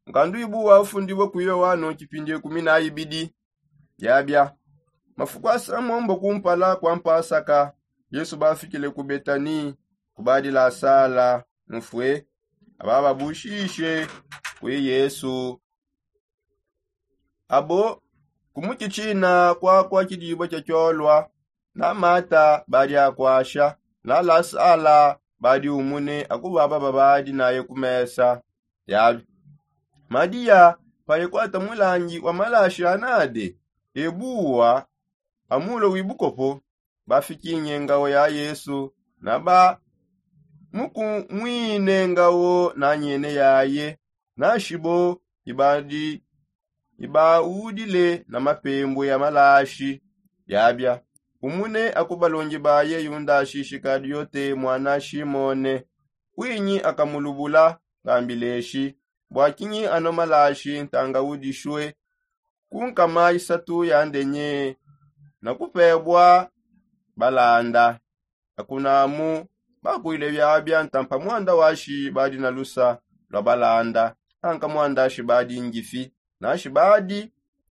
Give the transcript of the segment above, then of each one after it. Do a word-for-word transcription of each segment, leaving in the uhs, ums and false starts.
Nkandu ibu wafundibua ku yoano kipindi ikumi na ibidi. Biabia mafuku asamombo kumpala kua mpasaka, yesu bafikile ku betani, kubadi lasala mufue. Aba babushishe kui yesu. Abo kumukitshina kuakua kidibua kia kiolua, na mata badi akuasha, na lasala badi umune akubaba babadi naye ku mesa. Yabi madiya paye kuata mulangi wa malashi anade ebuwa amulo wibukopo, bafikinye ngawo ya yesu, na ba mukumwine ngawo na nyene yaye, na shibo ibadi ibaudile na mapembue ya malashi. Biabia umune aku balongi baye yudashi shikariote mwana shimone, kuinyi akamulubula? Bambileshi bua kinyi ano malashi ntanga udishue ku nkama isatu ya ndenye na kupebua balanda. Akunamu bakuile biabia ntampa muanda washi badi na lusa lua balanda, anka muanda ashi badi ngifi, nashi badi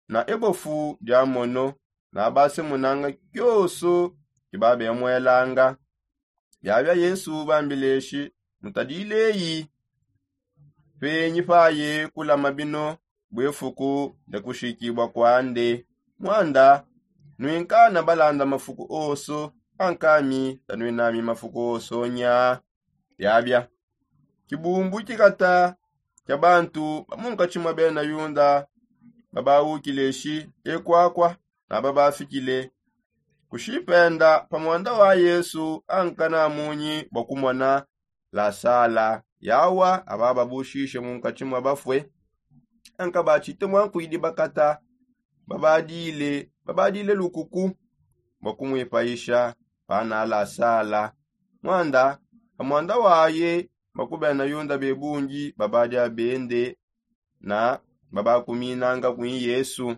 na ebofu dia mono, na basemunanga kioso kibabemuelanga. Biabia yesu bambileshi mutadileyi penyi paye kulama bino bue fuku dia kushikibua kuande. Muanda nuinka na balanda mafuku oso, ankami tanuinami mafuku oso nya. Biabia kibumbu kikata kia bantu ba munkatshi mua bena yuda babaukileshi ekuakua, na babafikile kushipenda pa muanda wa yesu anka na munyi bua kumona lasala yawa aba babushishe munkatshi mua bafue. Anka batshite muankuidi bakata babadile babadile lukuku bua kumuipayisha pana lasala. Muanda pa muanda waye bakubena yuda bebungi babadi abende na babakuminanga kui yesu.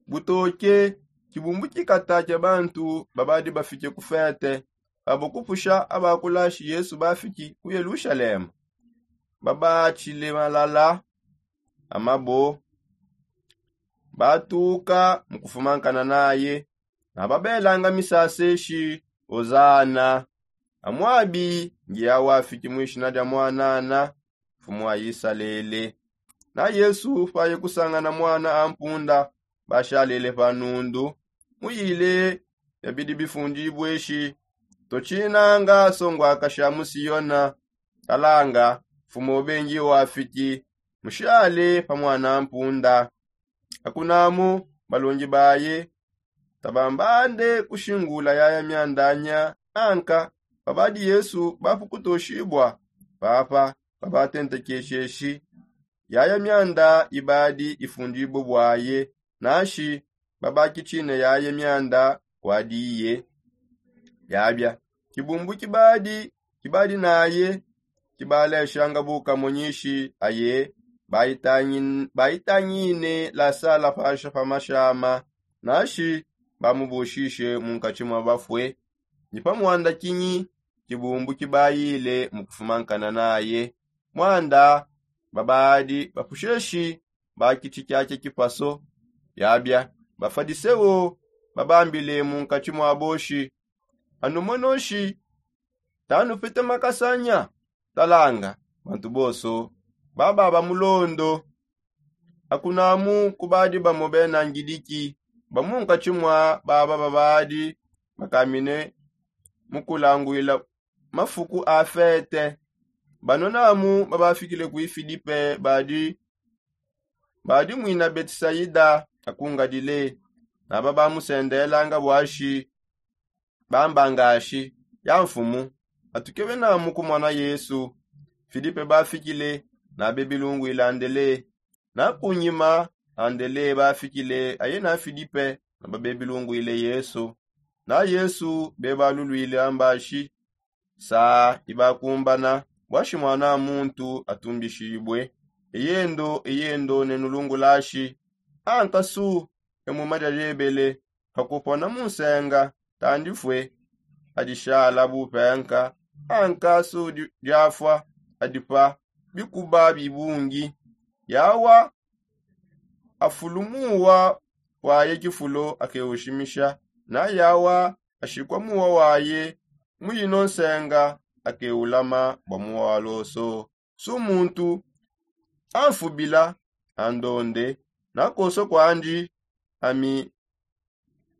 Butoke kibumbu kikata kia bantu babadi bafike ku fete, abo kupusha abakulashi yesu bafiki ku yelushalema, babatshile malala amabo batuka mu kufumankana naye, na babelanga misasa eshi ozana. Amuabi ngiya wafiki mu ishina dia muanana mfumu wa isalele. Na yesu paye kusangana muana a mpunda bashalele pa nundu, muyile bia bidi bifundibue eshi, totshinanga songuakashi a mu siona, talanga mfumu obengi wafiki, mushale pa muana a mpunda. Akunamu balongi baye tabambande kushingula yaya mianda nya, anka babadi yesu bapukutoshibua papa babatentekesheshi yaya mianda ibadi ifundibue buaye, nashi babakitshine yaya mianda kuadiye. Biabia kibumbu kibadi kibadi naye kibaleshanga bukamonyishi aye, baitangine lasala pasha pa mashama, nashi bamubushishe munkatshi mua bafue. Ni pa muanda kinyi kibumbu kibayile mu kufumankana naye? Muanda babadi bapusheshi bakitshi kiakia kipaso. Biabia bafadiseo babambile munkatshi mua boshi, anu monoshi tanupete makasanya. Talanga bantu bonso baba ba mulondo. Akunamu kubadi bamo bena ngidiki ba munkatshi mua baba babadi bakamine mu kulanguila mafuku a fete. Banonamu babafikile kui filipe badi badi muina betisaida akungadile, naba bamusendelanga buashi bambangashi ya mfumu, atukebe namu kumona yesu. Filipe bafikile nabe bilunguile andele, na kunyima andele bafikile aye na filipe naba bebilunguile yesu. Na yesu bebalulwile ambashi saa ibakumbana buashi muana muntu atumbishibue. Eyendo eyendo nenulungulashi ankasu emuma diajebele pakupona mu nsenga tandifue adishala bupenka ankasu diafua adipa bikuba bibungi. Yawa afulu muwa waye kifulo akewushimisha, na yawa ashikwa muwa waye muyinonsenga akewulama bwa muwa waloso. Su muntu anfubila andonde, nakoso kwandi ami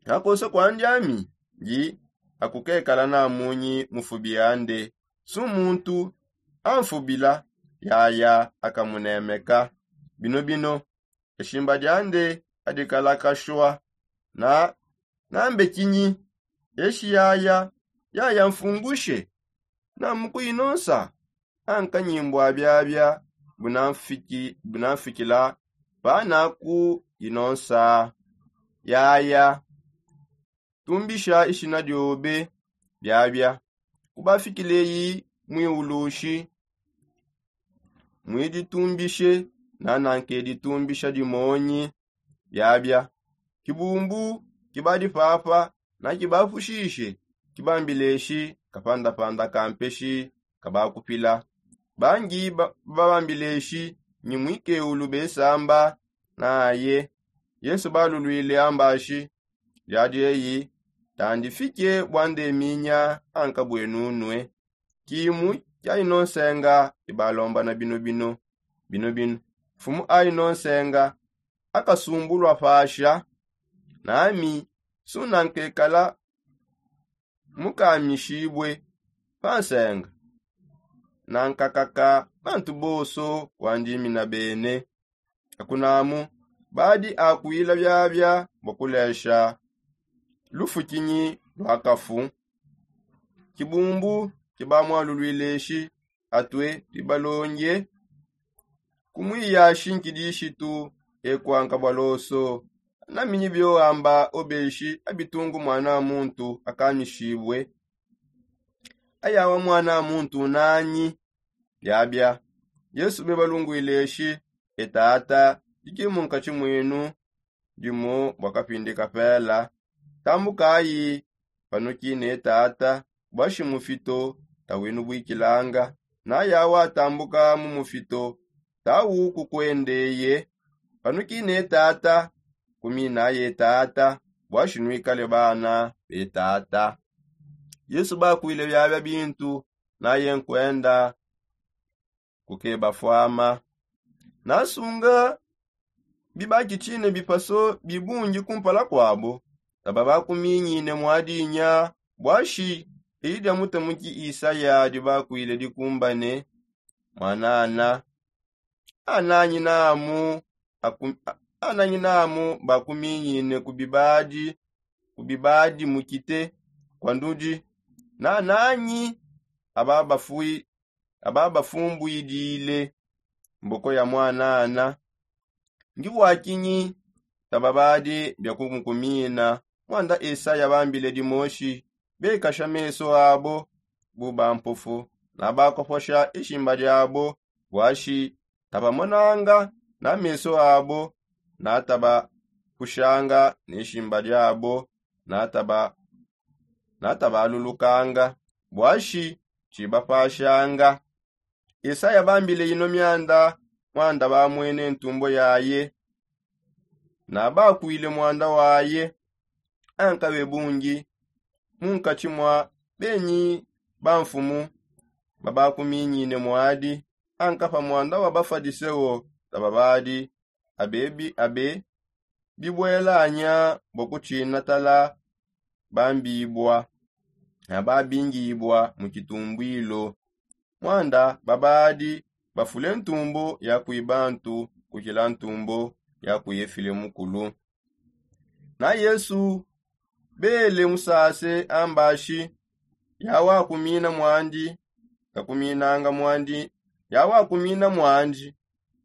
nakoso kwandi ami ndi akukekala na munyi mufubi ande. Su muntu anfubila yaya akamunemeka. Bino bino eshimba diande adikalakashwa na nambe kinyi? Eshi yaya yaya mfungushe na mukuyinonsa ankanyimbwa biabia bunamfikila pana kuyinonsa yaya. Tumbisha ishina diobe biabia kubafikileyi mwiulushi mwiditumbishe na nankeditumbisha dimonyi biabia. Kibumbu kibadi papa na kibapushishe kibambileshi kapandapanda kampeshi kabakupila. Bangi babambileshi nyi mwikeulu besamba naye. Yesu balulwile ambashi diadi eyi tandifike bwandeminya ankabwenunue. Kimu kiayinonsenga ibalombana bino bino bino bino. Mfumu ayinonsenga akasumbulwa pasha nami sunankekala mukamishibue pansenga nankakaka bantu bonso wandimina bene. Akunamu badi akwila biabia bua kulesha lufukinyi lua kafu. Kibumbu kibamwalulwileshi atue bibalonge kumwiyashi nkidishitu ekuanka bua loso. Naminyi bioamba obeshi abitungu mwana muntu akanyishibue ayawa mwana muntu nanyi? Biabia yesu bebalungwile eshi etata diki munkatshi mwenu dimu bua kapindi kapela. Tambukayi panuki ne tata bua shi mufito tawinu buikilanga. Nayawa tambuka mu mufito tawu kukwendeye. Panuki ne tata kuminaye tata bua shi nuikale bana be tata. Yesu bakwile biabia bintu naye nkuenda kukeba fuama. Nasunga bibakitshine bipaso bibungi kumpala kuabo taba bakuminyine muadinya. Bua shi eyi dia mutamuki isaya dibakwile dikumbane mwanana ananyi namu ananyi namu bakuminyine ku bibadi ku bibadi mukite kua ndudi nananyi aba bafui aba bafumbuidile mboko ya mwanana. Ndi bua kinyi tababadi bia kumukumina? Muanda esaya bambile dimoshi bekasha meso abo bu bampofu nabakoposha ishimba diabo bua shi tabamonanga na meso abo natabakushanga ne shimba diabo nataba natabalulukanga bua shi tshibapashanga. Esaya bambile ino mianda muanda bamwene ntumbo yaye nabakwile muanda waye. Ankabe bungi munkatshi mua benyi bamfumu babakuminyine muadi ankapa muanda wa bafadiseo tababadi abe bibuelanya bua kutshina tala bambibua na babingibua mu kitumbuilo. Muanda babadi bafule ntumbu ya kui bantu kukila ntumbu ya kui efile mukulu. Na yesu bele musase ambashi yawakumina muandi takuminanga muandi yawakumina muandi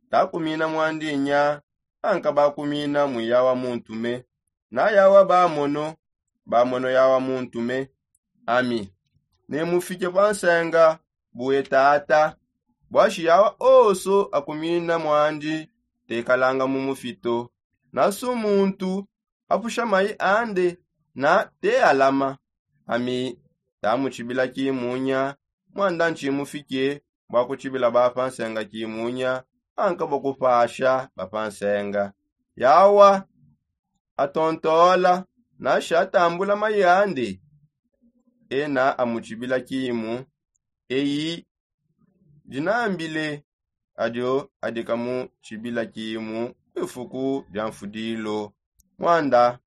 takumina muandi nya ankabakumina muyawa muntume. Na yawa bamono bamono yawa muntume ami ne mufike pa nsenga bue tata. Bua shi yawa onso akumina muandi tekalanga mu mufito. Nasu muntu apusha mayi ande na tealama ami tamutshibila kimunya. Muanda ntshimufike bua kutshibila bapa nsenga kimunya ankabua kupasha bapansenga. Yawa atontola nansha atambula mayande ena amutshibila kimu. Eyi dinambile adio adika mu tshibila kimu ku bifuku bia mfudilo. Mwanda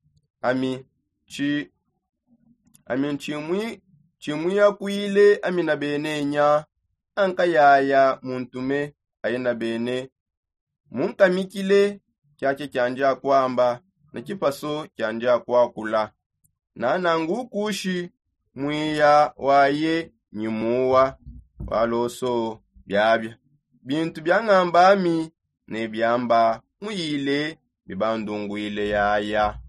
ami tshi ami ntshimwi tshimwiyakwile amina benenya. Ankayaya muntume ayina bene munkamikile kiakia kiandi akuamba ne kipaso kiandi akuakula. Nanangukushi mwiya waye nyimuwa waloso biabia bintu bia ngambami ne biamba muyile bibandunguile yaya.